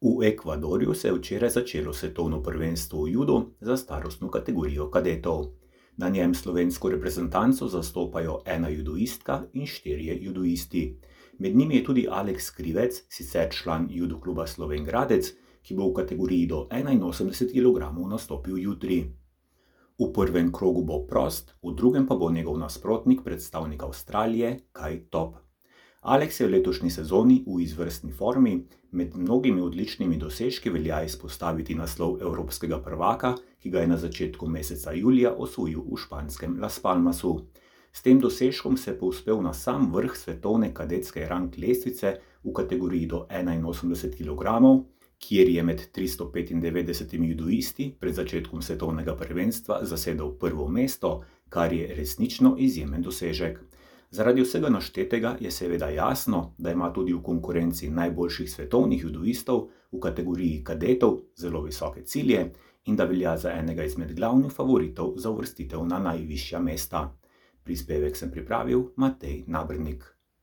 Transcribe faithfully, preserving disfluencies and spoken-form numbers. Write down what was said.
V Ekvadorju se je včeraj začelo svetovno prvenstvo v judu za starostno kategorijo kadetov. Na njem slovensko reprezentanco zastopajo ena judoistka in štirje judoisti. Med njimi je tudi Aleks Krivec, sicer član judo kluba Slovenj Gradec, ki bo v kategoriji do enainosemdeset kilogramov nastopil jutri. V prvem krogu bo prost, v drugem pa bo njegov nasprotnik predstavnik Avstralije Kai Top. Aleks je v letošnji sezoni v izvrstni formi, med mnogimi odličnimi dosežki velja izpostaviti naslov evropskega prvaka, ki ga je na začetku meseca julija osvojil v španskem Las Palmasu. S tem dosežkom se je povzpel na sam vrh svetovne kadetske rang lestvice v kategoriji do enainosemdeset kilogramov, kjer je med tristo petindevetdesetimi judoisti pred začetkom svetovnega prvenstva zasedel prvo mesto, kar je resnično izjemen dosežek. Zaradi vsega naštetega je seveda jasno, da ima tudi v konkurenci najboljših svetovnih judoistov v kategoriji kadetov zelo visoke cilje in da velja za enega izmed glavnih favoritov za uvrstitev na najvišja mesta. Prispevek sem pripravil Matej Nabernik.